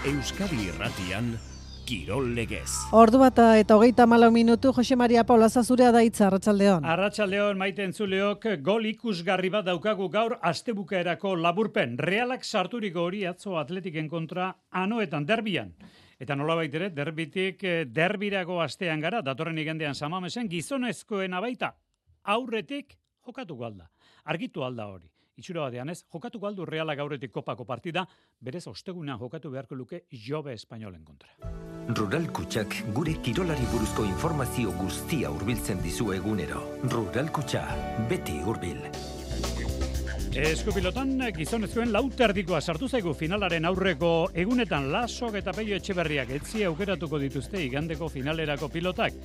Euskadi Irratian, Kirol Legez. Ordu bata eta 34 minutu, Jose Maria Paulaza zurea da hitza, arratsaldeon. Arratsaldeon, maite entzuleok, gol ikusgarri bat daukagu gaur astebukaerako laburpen. Realak sarturiko hori atzo Atletiken kontra anoetan derbian. Eta nolabait ere, derbirako astean gara, datorren igandean Samamesen, gizonezkoena baita aurretik jokatuko alda. Argitu alda hori. Itxura batean ez, jokatuko aldu Realak aurretik kopako partida, berez ostegunean jokatu beharko luke Jobe Espainolen kontra. Rural Kutxak gure kirolari buruzko informazio guztia hurbiltzen dizu egunero. Rural Kutxa, beti hurbil. Eskupilotan gizonezkoen lauterdikoa sartu zaigu finalaren aurreko egunetan Lasok eta Peio Etxeberriak etzi aukeratuko dituzte igandeko finalerako pilotak.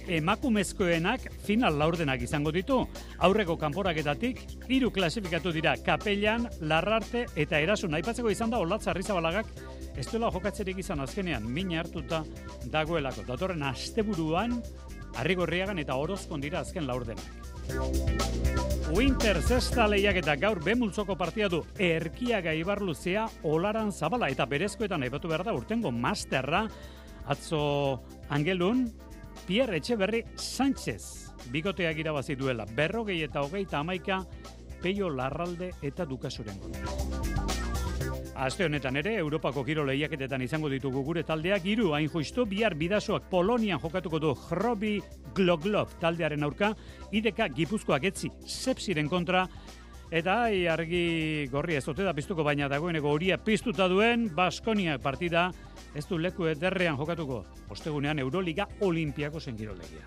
Emakumezkoenak final laurdenak izango ditu. Aurreko kanporaketatik 3 klasifikatu dira Kapellan, Larrarte eta Erasun. Aipatzeko izan da Olatz Arrizabalagak ez duela jokatzerik izan azkenean min hartuta dagoelako. Datorren asteburuan Arrigorriagan eta Orozkon dira azken laurdenak. Winter zesta lehiaketa gaur bemultzoko partia du Erkiaga Ibarluzea Olaran Zabala eta berezkoetan aipatu behar da urtengo masterra atzo Angelun Pierre Etxeberri Sánchez bikoteak irabazi duela 40 eta 31 Peio Larralde eta Dukasoren kontra. Aste honetan ere, Europako kirol lehiaketetan izango ditugu gure taldeak, 3 hain justu, bihar bidasoak Polonian jokatuko du Hrobi Gloglov taldearen aurka, ideka Gipuzkoak etzi Sepsiren kontra, eta argi gorria ez ote da piztuko, baina dagoeneko horia piztuta duen Baskonia partida, ez du leku ederrean jokatuko, ostegunean Euroliga Olimpiakosen kiroldegia.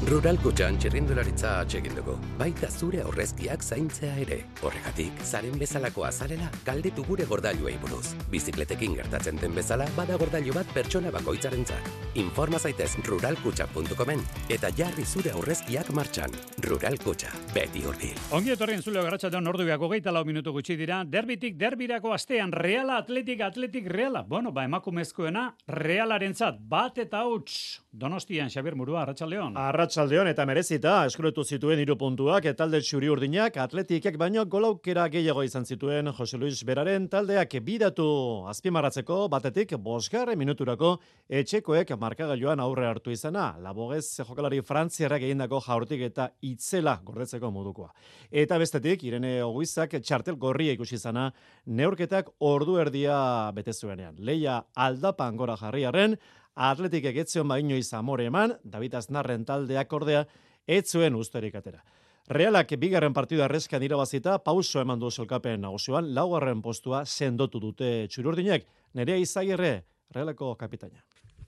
Rural Kutxan txirrindularitza atsegin dugu, baita zure aurrezkiak zaintzea ere. Horregatik, zaren bezalako azalela, galdetu gure gordailuei buruz. Bizikletekin gertatzen den bezala, bada gordailu bat pertsona bakoitzarentzat. Informa zaitez ruralkutxa.comen eta jarri zure aurrezkiak martxan. Rural Kutxa, beti hurbil. Ongi etorri entzuleo garratxatean orduak 24 minutu gutxi dira, derbitik derbirako astean Reala Atletik Reala. Bueno, emakumezkoena Realarentzat bat eta huts. Donostian Xabier Murua, arratsaldeon. Arratsaldeon eta merezita eskuretu zituen 3 puntuak talde txuri-urdinak Atletikek baino golaukera gehiago izan zituen Jose Luis Beraren taldeak bidatu azpimarratzeko batetik 5. minuturako etxekoek markagailuan aurre hartu izana. Labogez jokalari frantziarrak egindako jaurtik eta itzela gordetzeko modukoa. Eta bestetik Irene Oguizak txartel gorria ikusi izana neurketak ordu erdia bete zuenean. Leia aldapan gora jarriarren Atletik egetzion baino izamore eman, David Aznarren taldeak ordea, etzuen usterik atera. Realak bigarren partida arrezkan irabazita, pauso eman du solkapen nagusioan, 4. postua sendotu dute txuri-urdinek. Nerea Izagirre, Realako kapitaina.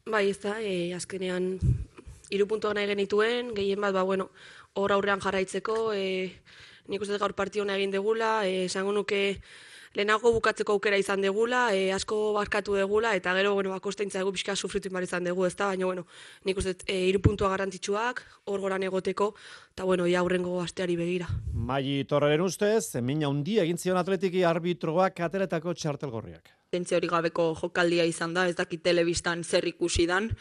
Bai, ez da, azkenean 3 puntuak nahi genituen, gehien bat, hor aurrean jarraitzeko, nik uste gaur partiona egin degula, esango nuke lehenago bukatzeko aukera izan degula, asko barkatu degula, eta gero, akostaintza egu pixka sufritu inbar izan dugu, ez da, baina, nik uste 3 puntua garrantzitsuak, hor goran egoteko, eta, ia aurrengo asteari begira. Mai Torreren ustez, mina handia egin zion Atletiki arbitroak ateretako txartel gorriak. Tentzio hori gabeko jokaldia izan da, ez dakit telebistan zer ikusi dan,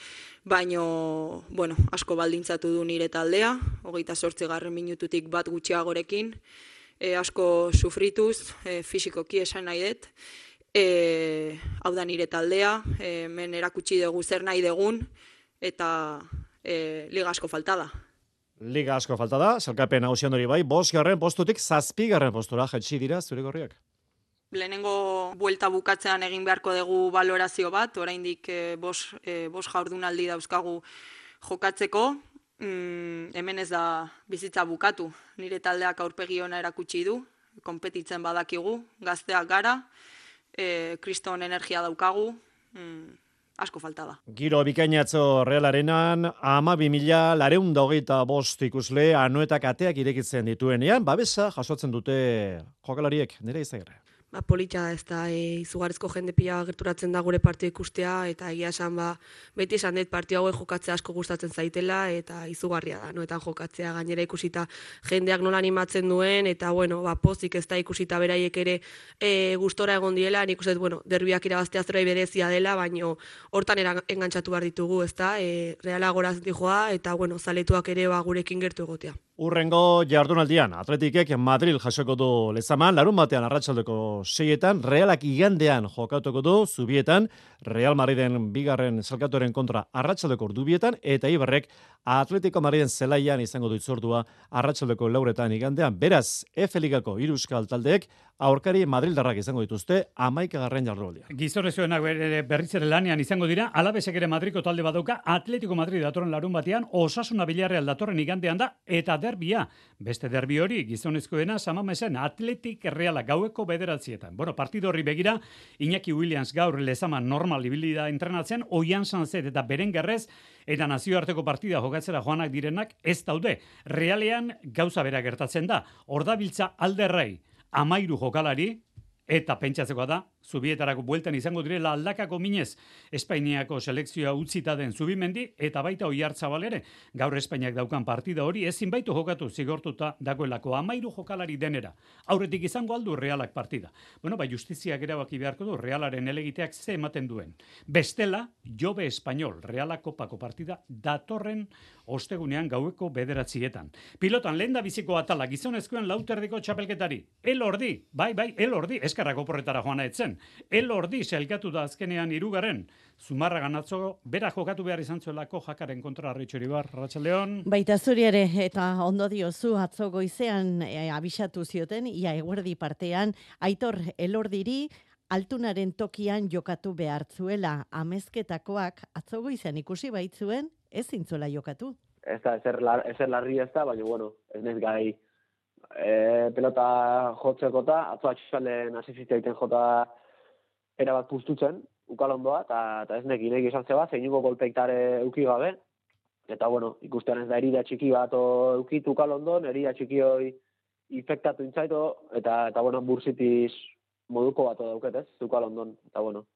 baino, asko baldintzatu du nire taldea, 28. minututik bat gutxiagorekin, asko sufrituz, fisikoki esan nahi dut, hau da nire taldea, men erakutsi dugu zer nahi dugun, eta liga asko falta da. Liga asko falta da, salkapen hausian hori bai, 5. postutik 7. postura jetxi dira zure gorriak. Lehenengo buelta bukatzean egin beharko dugu balorazio bat, oraindik 5 jardunaldi dauzkagu jokatzeko, hemen ez da bizitza bukatu. Nire taldeak aurpegi ona erakutsi du, konpetitzen badakigu, gazteak gara, kriston energia daukagu, asko falta da. Giro bikainatzo Realarenan, 12.425 ikusle anoetak ateak irekitzen dituenean, babesa jasotzen dute jokalariek, nire Izagirre. Polita ez da, izugarrizko jende pila gerturatzen da gure partio ikustea, eta egia esan, beti esan dut partio hauek jokatzea asko gustatzen zaitela, eta izugarria da, noetan jokatzea gainera ikusita jendeak nola animatzen duen, eta pozik ez da ikusita beraiek ere gustora egon diela, nik uste, derbiak irabaztea zerbait berezia dela, baino hortan engantzatu behar ditugu, ez da, Reala goraz dijoa, eta zaletuak ere gurekin gertu egotea. Urrengo jardunaldian, Atletikek Madrid jasoko du Lezaman, larun batean arratsaldeko 6etan, Realak igandean jokatuko du Zubietan, Real Madriden bigarren salkatuaren kontra arratsaldeko 2etan, eta Ibarrek Atletico Madriden zelaian izango du itzordua arratsaldeko 4etan igandean. Beraz, F Ligako 3 euskal taldeek aurkari Madrildarrak izango dituzte 11. jardunaldia. Gizonezkoenak berriz ere lanean izango dira, Alabesek ere Madriko talde badauka, Atletico Madrid datorren larun batean, Osasuna Villarreal datorren igandean da, eta derbia. Beste derbi hori, gizonezkoena Samamesen Atletik Realak gaueko 9:00. Bueno, partido horri begira, Iñaki Williams gaur Lezaman normal ibili da entrenatzen, Oian Sanzet eta Berengerrez, eta nazioarteko partida jokatzera joanak direnak ez daude. Realean gauza bera gertatzen da, ordabiltza Alderrei 13 jokalari, eta pentsatzekoa da, Zubietarako bueltan izango direla aldakako minez Espainiako selekzioa utzita den Zubimendi, eta baita Oiartzabal ere. Gaur Espainiak daukan partida hori ezin baitu jokatu zigortuta dagoelako 13 jokalari denera. Aurretik izango aldu Realak partida. Bueno, justiziak erabaki beharko du Realaren elegiteak ze ematen duen. Bestela, Jobe Espainol Realak kopako partida datorren ostegunean gaueko 9:00. Pilotan lehen biziko atala gizonezkoen lauterdiko txapelketari. Elordi, bai, Elordi, eskarrako porretara joana etzen. Elordi selkatu da azkenean 3. Zumarraga atzo bera jokatu behar izan zuelako Jakaren kontra Arritxoribar, Arratsaldeon. Baita zuri ere, eta ondo diozu atzo goizean abisatu zioten, ia eguerdi partean, Aitor Elordiri Altunaren tokian jokatu behartzuela. Amezketakoak atzo goizean ikusi baitzuen, ez zintzuela jokatu. Ez da, ezer larri ez da, baina, bueno, ez nez gai pelota jotzekota, atzo atxalen asizizia egiten jota erabat puztutzen, ukalondoa, eta ez nekin izan zeba, zeinuko golpeiktare euki gabe, eta, bueno, ikustean ez da herida txiki bat eukitu ukalondon, herida txiki hoi infektatu intzaito, eta bueno, bursitiz moduko bat dauketez, ukalondon, eta, bueno,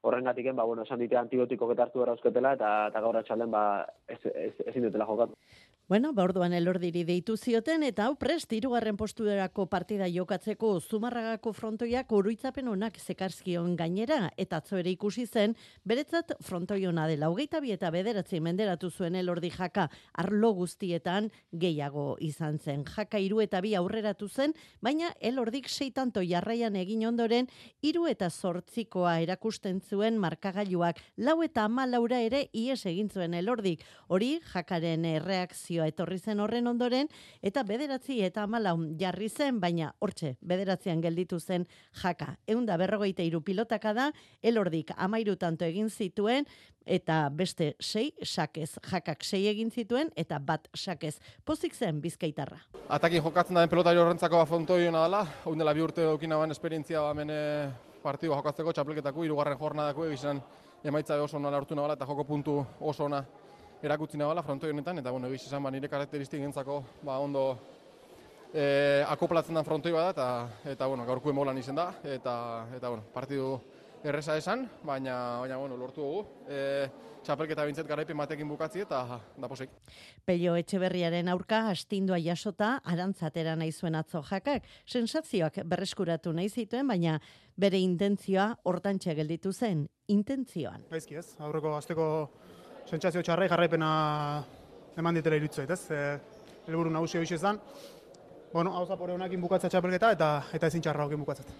horrengatiken, bueno, esan dite antibiotikok eta hartu erauzketela, eta gaur atxalden, ezin dutela jokatu. Bueno, orduan Elordiri deitu zioten, eta hau prest 3. postuderako partida jokatzeko Zumarragako frontoiak oroitzapen onak zekarzkion gainera, eta atzo ere ikusi zen, beretzat frontoi ona dela. 22 eta 9 menderatu zuen Elordi Jaka arlo guztietan gehiago izan zen. Jaka 3 eta 2 aurreratu zen, baina Elordik 6 tanto jarraian egin ondoren, 3 eta 8 erakusten zuen markagailuak. 4 eta 14 ere ies egin zuen Elordik. Hori Jakaren reakzio etorri zen horren ondoren, eta 9 eta 14 jarri zen, baina hortxe, 9 gelditu zen Jaka. 153 pilotaka da, Elordik 13 tanto egin zituen, eta beste 6 sakez. Jakak 6 egin zituen, eta bat sakez. Pozik zen Bizkaitarra. Atakin jokatzen da den pelotari horrentzako frontoi hona dela, hon dela 2 urte okina ban esperientzia hemen partidua jokatzeko, txapelketako 3. jornadako egizan emaitza oso ona lortu nabala, eta joko puntu oso ona erakutzi nabala frontoi honetan, eta bueno, egiz esan nire karakteristik gentzako ondo akoplatzen den frontoi bada, eta bueno, gaurko emolan izen da, eta bueno, partidu erresa esan, baina bueno, lortu dugu. Txapelketa bintzet garaipen batekin bukatzi eta da posik. Pello Etxeberriaren aurka astindua jasota arantzatera nahi zuen atzo Jakak. Sensazioak berreskuratu nahi zituen, baina bere intentzioa hortantxe gelditu zen. Intentzioan. Gaizki ez, aurreko asteko sentsazio txarrai jarraipena eman ditela iruditzen, ez? Helburu nagusia hori izan. Bueno, hau zapore honekin bukatza txapelketa eta ezin txarra hokin bukatzat.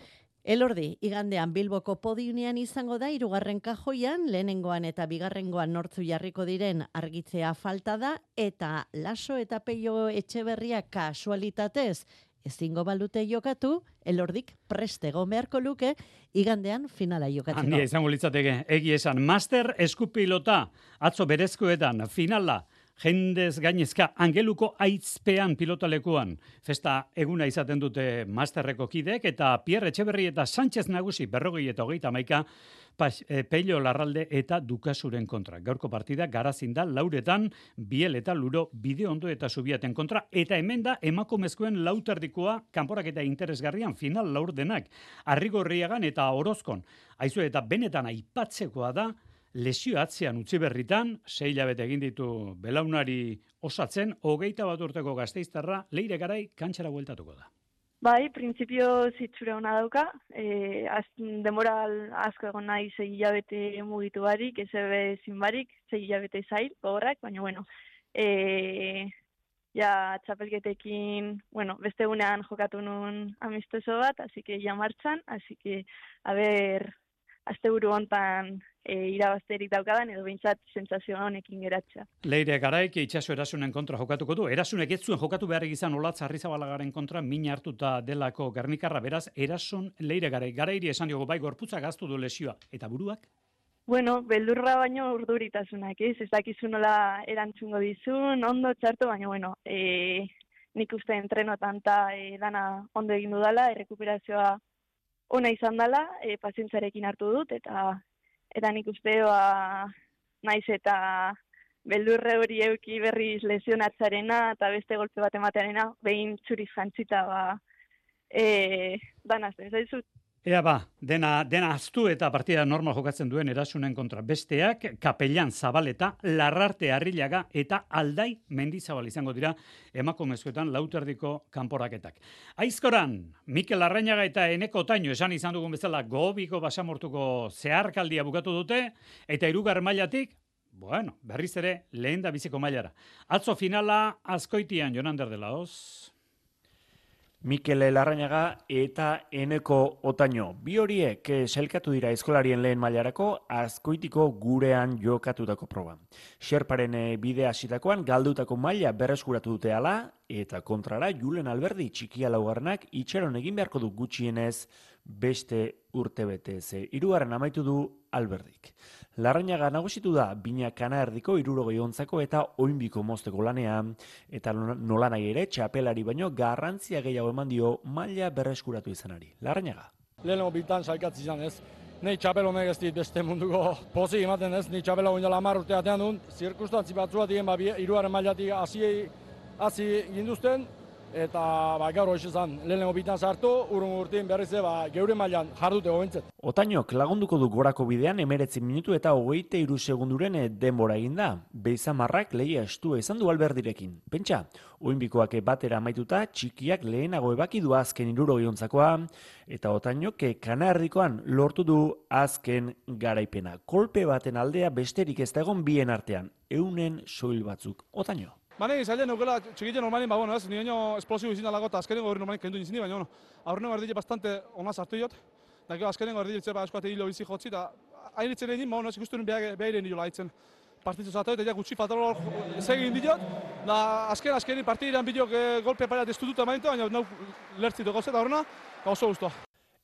Elordi, igandean Bilboko podiunean izango da 3. kajoian, lehenengoan eta bigarrengoan nortzu jarriko diren argitzea falta da, eta Laso eta Pello Etxeberria kasualitatez ezingo balute jokatu, Elordik prestego beharko luke, igandean finala jokatzeko. Handia izango litzateke, egi esan, master eskupilota, atzo berezkoetan, finala, jendez gainezka angeluko aitzpean pilotalekuan. Festa eguna izaten dute masterreko kideek, eta Pierre Etxeberri eta Sánchez Nagusi 40 eta 31 Pello Larralde eta Dukasuren kontra. Gaurko partida Garazin da 4etan, Biel eta Luro Bideondo eta Zubiaten kontra, eta hemen da emakumezkoen lauterdikoa kanporaketa interesgarrian final laurdenak. Arrigorriagan eta Orozkon. Aizu eta benetan aipatzekoa da, lesio atzean utzi berritan, 6 hilabete egin ditu belaunari osatzen, 21 urteko Gasteiztarra Leire Garai kantxara bueltatuko da. Bai, printzipio zitzura hona dauka, denbora asko egon nahi 6 hilabete mugitu barik, ez ebe zin barik, 6 hilabete zail, gogorrak, baina bueno, ja txapelketekin, bueno, beste egunean jokatu nun amistoso bat, así que ja martxan, así que, a ber, asteburu hontan irabazterik daukadan, edo behintzat sentsazio honekin geratzea. Leire Garaik Itxaso Erasunen kontra jokatuko du. Erasunek ez zuen jokatu behar izan Olatz Arrizabalagaren kontra min hartuta delako Gernikarra, beraz, Erasun Leire Garairi esan diogu bai gorputzak gaztu du lesioa. Eta buruak? Bueno, beldurra baino urduritasunak, ez dakizu nola erantzungo dizun, ondo txarto, baina bueno, nik uste entrenotan eta dana ondo egin dudala, errekuperazioa ona izan dela, pazientzarekin hartu dut, eta nik uste naiz eta beldurre hori euki berriz lesionatzarena eta beste golpe bat ematearena, behin txuriz jantzita dana zen, zaizut. Ea dena aztu eta partida normal jokatzen duen Erasunen kontra. Besteak, Kapellan Zabaleta, Larrarte Arrillaga eta Aldai Mendizabal izango dira emakumezkoetan lauterdiko kanporaketak. Aizkoran, Mikel Larrañaga eta Eneko Otaño esan izan dugun bezala Gobiko basamortuko zeharkaldia bukatu dute, eta 3. mailatik, bueno, berriz ere lehen da biziko mailara. Atzo finala Azkoitian, Jonander de la Hoz. Mikel Larrañaga eta Eneko Otaño. Bi horiek sailkatu dira eskolarien lehen mailarako Azkoitiko gurean jokatutako proba. Xerparen bidea hasitakoan galdutako maila berreskuratu dute hala, eta kontrara Julen Alberdi txikia laugarrenak itxaron egin beharko du gutxienez beste urtebetez. 3. amaitu du Alberdik. Larrañaga nagusitu da Bina Kana erdiko 60 eta oinbiko mozteko lanean, eta nolanahi ere txapelari baino garrantzia gehiago eman dio maila berreskuratu izanari. Larrañaga. Lehenengo bitan sailkatzi izan ez. Nei txapel honek ez dit beste munduko pozik ematen ez, ni txapela goindala 10 urte atean duen, zirkustantzi batzua diren 3. mailatik hasi ginduzten, eta gaur hoxe zan, lehenengo bitan sartu, urrungo urtein berriz geure mailan jardute gobentzet. Otañok lagunduko du gorako bidean 19 minutu eta 23 segunduren denbora eginda. Beizamarrak lehia estua izan du Alberdirekin. Pentsa, oinbikoak batera amaituta, txikiak lehenago ebaki du azken 60 eta Otañok Kanarrikoan lortu du azken garaipena. Kolpe baten aldea besterik ez da egon bien artean, 100 soil batzuk. Otaño. Bane, zailen nukela txikiten normalin, bueno, ez, nire esplosibo izin dalago eta azkenengo hori normalin kendu izin di, baina, aurrenengo erdile bastante ona sartu jot, da azkenengo erdile zeba eskoate hilo bizi jotzi, eta hainitzen egin, ez ikusten behiren nilo laitzen partizu zato, eta gutxi fatalo segin diot, da azkeni partidiran bideok golpe pariat ez dututa maintu, baina nau lertzitu gozet aurrena, eta oso guztua.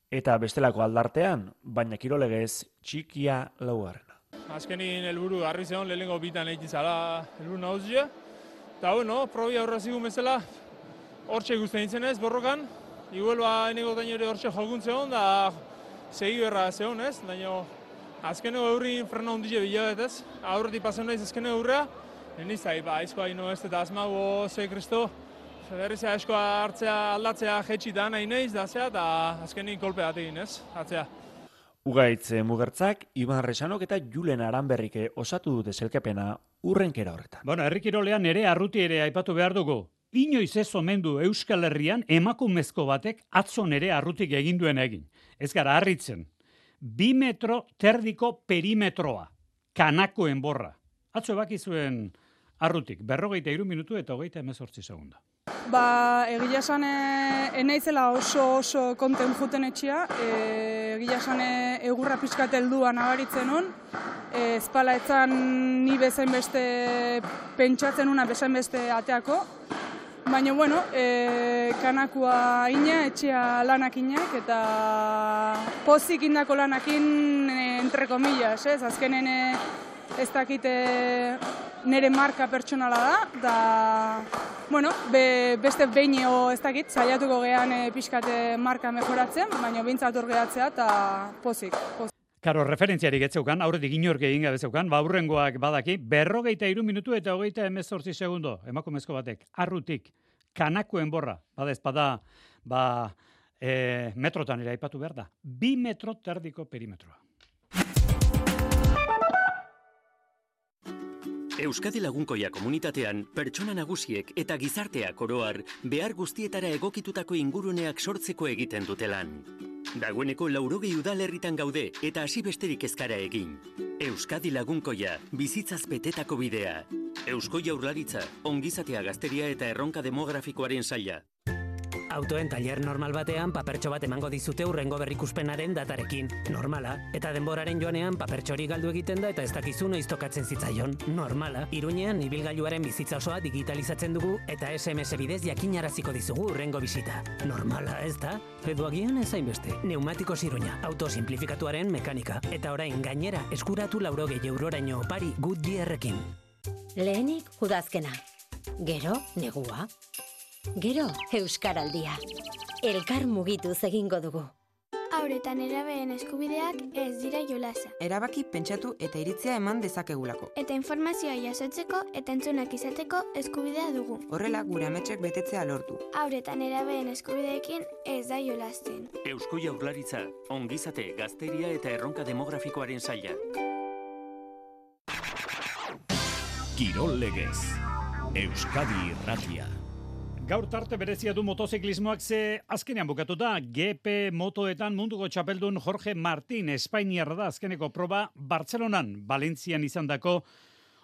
Eta bestelako aldartean, baina kirolegez txikia laugarrena. Azkenin helburu harri zeon, lehenengo bitan egin zala helburu nauzia. Eta, bueno, probi aurra zigun bezala, hortxe guztien zenez, borrokan. Igual, Eneko Otaño ere hortxe jolgun zehon, da segi berra zehon, ez? Daino, azkeneko eurrin frena ondile bilabetez. Aurretik pasen naiz azkeneko eurrea. Niztai, aizkoa ino ez, eta azmago, ze kristo, berrizea aizkoa hartzea aldatzea jetxita nahi naiz, da zea, eta azkenik kolpe bat egin, ez? Atzea. Ugaitz Mugertzak, Iban Resanok eta Julen Aranberrik osatu dute zelkepena urrenkera horretan. Bueno, herrikirolean ere arruti ere aipatu behar dugu. Inoiz ez omen du Euskal Herrian emakumezko batek atzon ere arrutik egin duen egin. Ez gara harritzen. 2 metro terdiko perimetroa. Kanako enborra. Atzo ebaki zuen arrutik. 43 minutu eta 28 segunda. Egia esan enaizela oso konten juten etxia, egia esan egurra pixkat heldua nabaritzen hon, ezpala etzan ni bezain beste pentsatzen una bezain beste ateako, baina bueno, kanakua ina, etxea lanak inak, eta pozik indako lanakin entre comillas, ez, azkenen ez dakite nire marka pertsonala da, bueno, beste behino ez dakit, saiatuko gehan pixkate marka mejoratzen, baina behintzat hor gehatzea eta pozik. Karo, referentziarik etzeukan, aurretik inork egin gabe zeukan, aurrengoak badaki, 43 minutu eta 28 segundo, emakumezko batek, arrutik, kanako enborra, bada ezpada, metrotan ere aipatu behar da, 2 metro terdiko perimetroa. Euskadi Lagunkoia komunitatean, pertsona nagusiek eta gizarteak oroar behar guztietara egokitutako inguruneak sortzeko egiten dute lan. Dagoeneko 80 udalerritan gaude eta hasi besterik ezkara egin. Euskadi Lagunkoia, bizitzaz betetako bidea. Eusko Jaurlaritza, ongizatea gazteria eta erronka demografikoaren saila. Autoen tailer normal batean papertxo bat emango dizute hurrengo berrikuspenaren datarekin. Normala. Eta denboraren joanean papertxori galdu egiten da eta ez dakizu noiz tokatzen zitzaion. Normala. Iruñean ibilgailuaren bizitza osoa digitalizatzen dugu eta SMS bidez jakinaraziko dizugu hurrengo bisita. Normala, ez da? Edo agian ez hainbeste. Neumatikos Iruña, auto simplifikatuaren mekanika. Eta orain gainera eskuratu 80 euroraino opari Goodyearrekin. Lehenik udazkena. Gero negua. Gero Euskaraldia. Elkar mugituz egingo dugu. Haur eta nerabeen eskubideak ez dira jolasa. Erabaki pentsatu eta iritzia eman dezakegulako. Eta informazioa jasotzeko eta entzunak izateko eskubidea dugu. Horrela gure ametxek betetzea lortu. Haur eta nerabeen eskubideekin ez da jolasten. Eusko Jaurlaritza, ongizate, gazteria eta erronka demografikoaren saila. Kirol legez. Euskadi Irratia. Gaur tarte berezia du motoziklismoak ze azkenean bukatuta GP motoetan munduko txapeldun Jorge Martín Espainiarra da azkeneko proba Bartzelonan, Valentzian izandako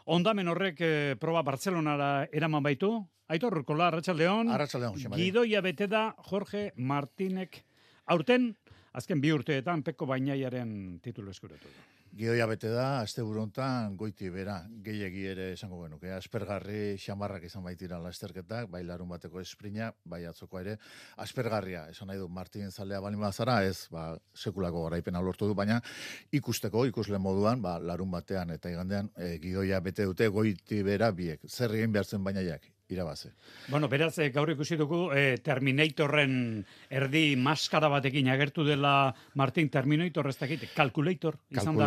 ondamen horrek proba Bartzelonara eraman baitu. Aitor Urkola, Arratsaldeon. Arratsaldeon, Xemari. Gidoia bete da Jorge Martínek aurten azken 2 urteetan Peko Bainaiaren titulu eskuratu du. Gidoia bete da, asteburu hontan goiti bera, gehiegi ere esango genuke. Aspergarri xamarrak izan baitira lasterketak, bai larun bateko esprina, bai atzoko ere. Aspergarria, esan nahi du Martin zalea balin bazara, ez sekulako garaipena lortu du, baina ikusle moduan, larun batean eta igandean gidoia bete dute goiti bera biek. Zer egin behar zen bainaiak? Irabaze. Bueno, beraz, gaur ikusi dugu Terminatorren erdi maskara batekin agertu dela Martin Terminator ez dakit, Calculator izan da.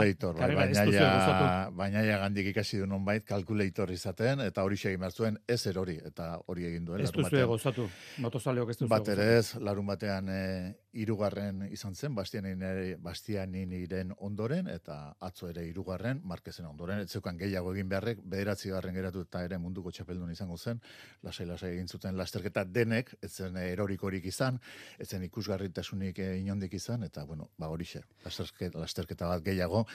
Bainaia gandik ikasi du nonbait, Calculator izaten, eta hori egin behar zuen ez erori, eta hori egin duen. Ez duzu gozatu, motozaleok ez duzu gozatu. Bat ere ez, larun batean 3. izan zen, Bastianiniren ondoren, eta atzo ere 3. Marquezen ondoren, ez zeukan gehiago egin beharrek, 9. geratu eta ere munduko txapeldun izango zen, lasai egin zuten lasterketa denek, ez zen erorikorik izan, ez zen ikusgarritasunik inondik izan, eta bueno, horixe, lasterketa bat gehiago,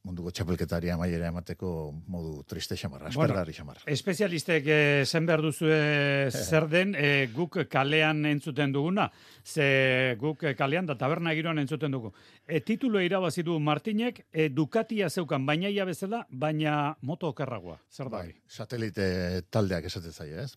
munduko txapelketari amaiera emateko modu triste xamarra, aspergarri xamarra. Espezialistek zen behar duzue zer den, guk kalean entzuten duguna, ze guk kalean da taberna giroan entzuten dugu. Titulo irabazi du Martinek, Ducatia zeukan bainaia bezala, baina moto okerragoa. Zer da? Satelite taldeak esaten zaie, ez?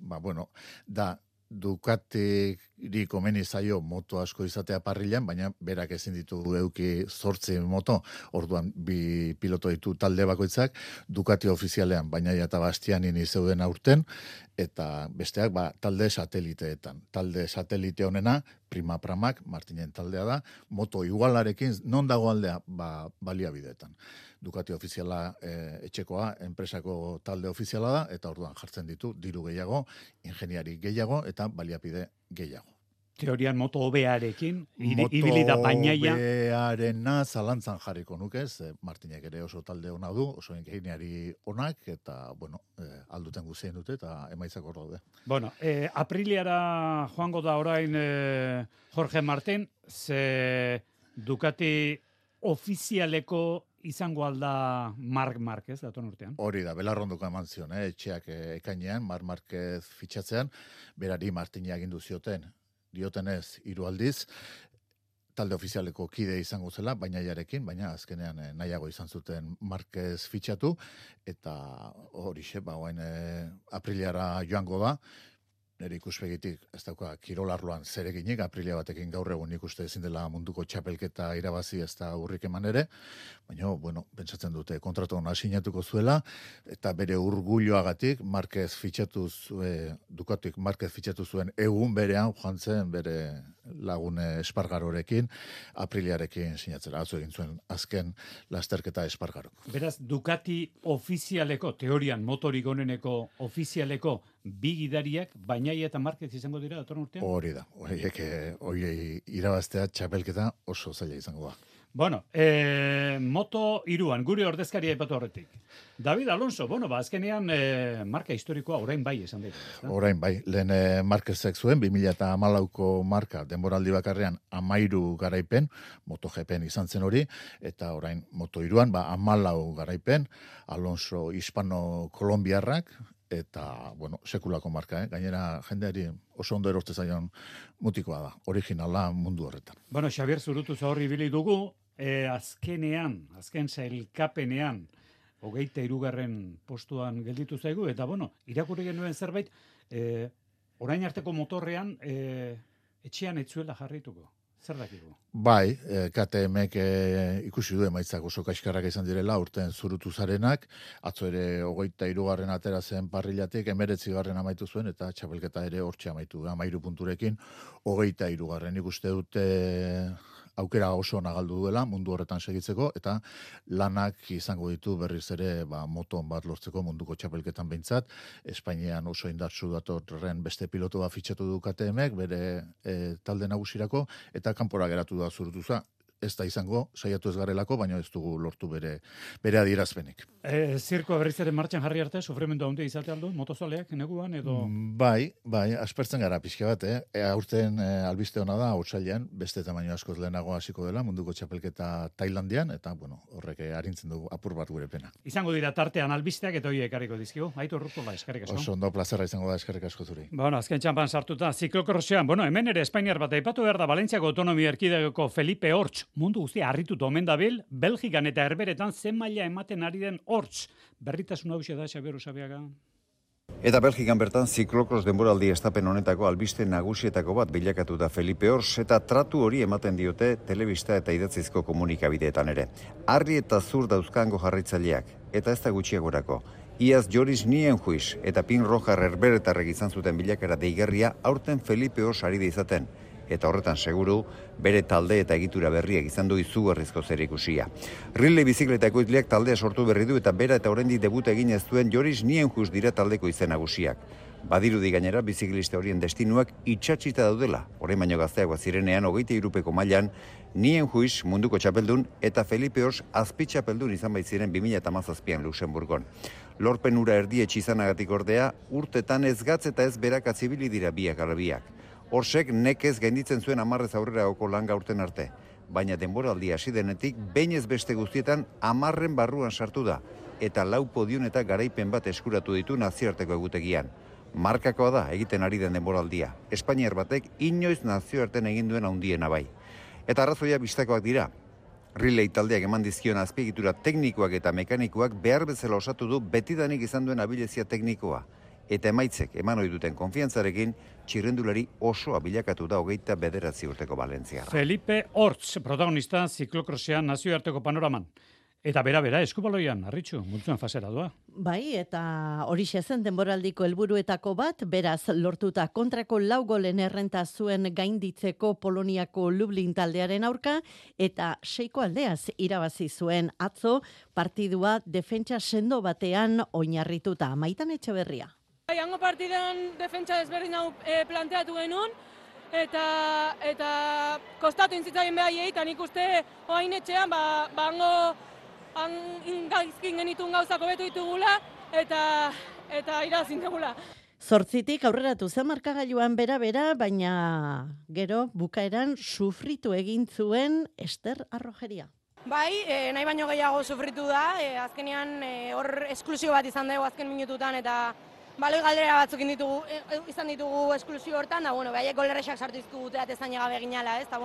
Da Ducatiri komeni zaio moto asko izatea parrilan, baina berak ezin ditu eduki 8 moto, orduan 2 piloto ditu talde bakoitzak, Ducati ofizialean bainaia eta Bastianini zeuden aurten, eta besteak talde sateliteetan. Talde satelite honena, Prima Pramak, Martinen taldea da, moto igualarekin, non dago aldea, baliabideetan. Ducati ofiziala etxekoa, enpresako talde ofiziala da, eta orduan jartzen ditu, diru gehiago, ingeniari gehiago, eta baliapide gehiago. Teorian moto hobearekin, ibili da bainaia. Moto hobearena zalantzan jarriko nukez, Martinek ere oso talde ona du, oso ingeniari onak, eta, alduten guzien dute, eta emaitzak hor daude. Apriliara joango da orain Jorge Martin, ze Ducati ofizialeko izango alda Marc Márquez datorren urtean. Hori da, belarrondoko eman zion, etxeak ekainean, Marc Márquez fitxatzean, berari Martina agindu zioten, diotenez 3 aldiz, talde ofizialeko kide izango zela, bainaiarekin, baina azkenean nahiago izan zuten Márquez fitxatu, eta horixe, apriliara joango da, nire ikuspegitik, ez dauka, kirolarloan zereginik, aprilia batekin gaur egun ikuste ezin dela munduko txapelketa irabazi ez da urrik eman ere, baina, pentsatzen dute kontratu hona sinatuko zuela, eta bere urgulloagatik, Ducatik Márquez fitxatu zuen egun berean, joan zen bere lagune Espargarorekin, apriliarekin sinatzera, atzo egin zuen azken lasterketa Espargarok. Beraz, Ducati ofizialeko, teorian motorik oneneko ofizialeko, 2 gidariak, Bainaia eta Márquez izango dira datorren urtean? Hori da, horiek irabaztea txapelketa oso zaila izango da. Bueno, moto iruan, gure ordezkaria aipatu horretik. David Alonso, azkenean marka historikoa orain bai esan dira. Orain bai, lehen Marquezek zuen, 2014ko marka denboraldi bakarrean 13 garaipen, MotoGPen izan zen hori, eta orain moto iruan, 14 garaipen, Alonso hispano-kolombiarrak, eta, sekulako marka, gainera jendeari oso ondo eroste zaion mutikoa da, originala mundu horretan. Xabier Zurutu zaurri bili dugu, azken sailkapenean, 23. postuan gelditu zaigu, eta irakurri genuen zerbait, orain arteko motorrean etxean etzuela jarrituko. Zer dakigu? Bai, KTMek ikusi du emaitzak oso kaxkarrak izan direla, urten Zurutu zarenak, atzo ere 23. atera zen parrilatik, 19. amaitu zuen, eta txapelketa ere hortxe amaitu, 13 punturekin, 23. Ikuste dute aukera oso nagaldu duela mundu horretan segitzeko, eta lanak izango ditu berriz ere moton bat lortzeko munduko txapelketan behintzat. Espainian oso indartsu datorren beste pilotu bat fitxatu du KTMek, bere talde nagusirako, eta kanpora geratu da Zurutuza. Ez da izango, saiatu ez garelako, baina ez dugu lortu bere adierazpenik. Zirkoa berriz ere martxan jarri arte, sufrimendu handia izate aldu, motozaleak neguan edo... Bai, aspertzen gara pixka bat, aurten albiste hona da, otsailean, beste tamaino askoz lehenago hasiko dela, munduko txapelketa Tailandian, eta, horrek harintzen dugu apur bat gure pena. Izango dira tartean albisteak eta horiek ekarriko dizkigu, Aitor Urkola, eskerrik asko. Oso ondo plazerra izango da, eskerrik asko zuri. Azken txampan sartuta, ziklokrossean, hemen ere Espainiar bat aipatu behar da, Valentziako autonomia erkidegoko Felipe Hortz, mundu guztia harrituta omen dabil, Belgikan eta Herberetan zen maila ematen ari den Hortz. Berritasun hauxe da, Xabier Usabiaga. Eta Belgikan bertan ziklokros denboraldi estapen honetako albiste nagusietako bat bilakatu da Felipe Hortz, eta tratu hori ematen diote telebista eta idatzizko komunikabideetan ere. Harri eta zur dauzkango jarraitzaileak, eta ez da gutxiagorako. Iaz Joris Nienhuis eta Pin Rojar Herberetarrek izan zuten bilakara deigarria aurten Felipe Hortz ari da izaten. Eta horretan seguru, bere talde eta egitura berriak izan du izugarrizko zerikusia. Riley bizikleta ekoizleak taldea sortu berri du eta bera eta oraindik debuta egin ez duen Joris Nienhuis dira taldeko izen nagusiak. Badirudi gainera biziklista horien destinuak itxatxita daudela. Orain baino gazteagoa zirenean 23. mailan Nienhuis munduko txapeldun eta Felipe Hortz azpitxapeldun izan baitziren 2017an Luxemburgon. Lorpen ura erdietxe izanagatik ordea, urtetan ez gatz eta ez berak atzibili dira biak ala biak. Hortzek nekez gainditzen zuen 10 aurreragoko langa urten arte, baina denboraldi hasi denetik behin ez beste guztietan 10 barruan sartu da, eta 4 podium eta garaipen bat eskuratu ditu nazioarteko egutegian. Markakoa da egiten ari den denboraldia, Espainiar batek inoiz nazioarten egin duen handiena bai. Eta arrazoia bistakoak dira. Riley taldeak eman dizkion azpiegitura teknikoak eta mekanikoak behar bezala osatu du betidanik izan duen abilezia teknikoa. Eta emaitzek eman ohi duten konfiantzarekin txirrendulari osoa bilakatu da 29 urteko Valentziarra. Felipe Hortz, protagonista ziklokrossean nazioarteko panoraman. Eta bera, eskubaloian, Arritxu, multzuen fasera doa. Bai, eta horixe zen denboraldiko helburuetako bat, beraz lortuta kontrako 4 golen errenta zuen gainditzeko Poloniako Lublin taldearen aurka, eta 6 aldeaz irabazi zuen atzo partidua defentsa sendo batean oinarrituta. Maitan Etxeberria. Hango partidan defentsa desberdin hau planteatu genuen, eta kostatu intzitzaien behaiei, eta nik uste oain etxean, hango gaizkin genitun gauzako betu ditugula, eta irazin dugula. 8 aurreratu zen markagailuan bera, baina gero bukaeran sufritu egin zuen Ester Arrojeria. Bai, nahi baino gehiago sufritu da, azkenean hor esklusio bat izan dugu azken minututan, eta baloi galdera batzuk izan ditugu esklusio hortan, da, behaiek golerrexak sartu izkugute eta ezan llegabe ginala, ez, eta,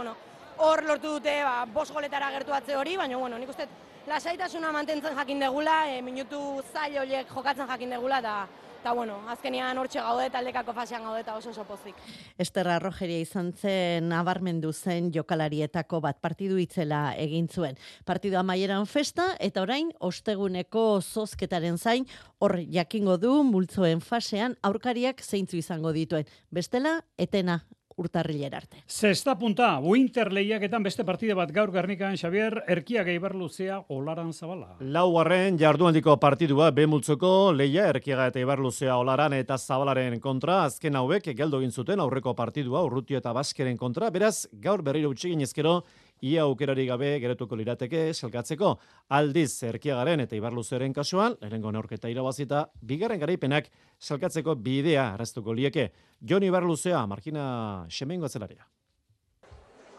hor lortu dute 5 goletara gertuatze hori, baina, nik uste lasaitasuna mantentzen jakin degula, minutu zail horiek jokatzen jakin degula, eta, azkenean hortxe gaude, taldekako fasean gaude, eta oso pozik. Ester Arrojeria izan zen nabarmendu zen jokalarietako bat partidu itzela egin zuen. Partidu amaieran festa, eta orain osteguneko zozketaren zain, hor jakingo du multzoen fasean aurkariak zeintzu izango dituen. Bestela, etena urtarrilera arte. Zesta punta, Winter lehiaketan beste partide bat gaur Gernikan, Xabier, Erkiaga Ibarluzea, Olaran Zabala. 4. jardunaldiko partidua B-multzoko lehia Erkiaga eta Ibarluzea, Olaran eta Zabalaren kontra, azken hauek geldo egin zuten aurreko partidua Urrutio eta Baskeren kontra, beraz gaur berriro utxegin ezkero ia aukerari gabe geratuko lirateke selkatzeko. Aldiz Erkiagaren eta Ibarluzeren kasuan, lehenengo neurketa irabazita, bigarren garaipenak selkatzeko bidea arrastuko lieke. Jon Ibarluzea, Markina Xemengo atzelaria.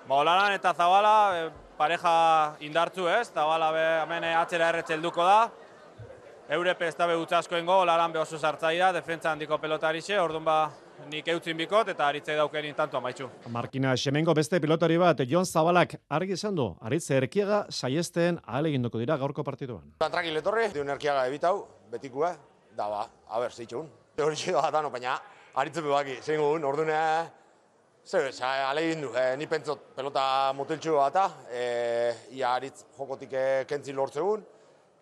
Olaran eta Zabala pareja indartzu ez, Zabala hemen atzera erretzelduko da. Eurepe ez da behutza askoengo, Olaran oso sartzaia, defentsa handiko pelotarixe, orduan nik eutzin bikot eta aritzei dauken intantu amaitxu. Markina Xemengo beste pilotari bat, Jon Zabalak argi esan du, Aritze Erkiaga saiesten ahaleginduko dira gaurko partiduan. Tranquil etorri, diun Erkiaga ebitau, betikua, da ba, a ber, zeitxun. Hori txedo batano, baina aritze bebaki, zein gun, orduan alegindu, ni pentsot pelota moteltxu bata, ia aritz jokotik kentzi lortzegun.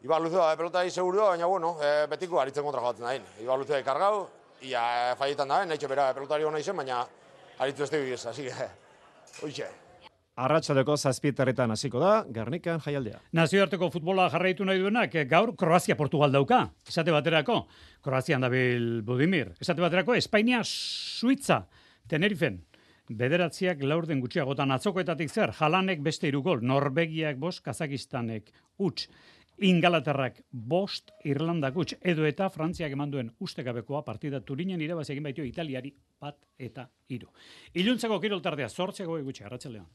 Ibarluze da pelotari seguru da, baina bueno, betiko aritzen kontra joatzen dain. Ibarluze kargau, ia faietan da, nahi txepera pelotari hona izen, baina aritzu ez tegiz, hasi oitxe. Arratsaleko 7:00 hasiko da, Gernikan jaialdea. Nazioarteko futbola jarraitu nahi duenak, gaur Kroazia-Portugal dauka. Esate baterako, Kroazian dabil Budimir. Esate baterako, Espainia-Suitza, Tenerifen. Bederatziak laurden gutxiagotan atzokoetatik zer, Jalanek beste 3 gol, Norvegiak 5, Kazakistanek huts. Ingalaterrak 5, Irlandak huts, edo eta Frantziak eman duen ustekabekoa partida Turinen irabazi egin baitu Italiari 1-3. Iluntzeko kiroltardea 8 gutxi, arratsaldean.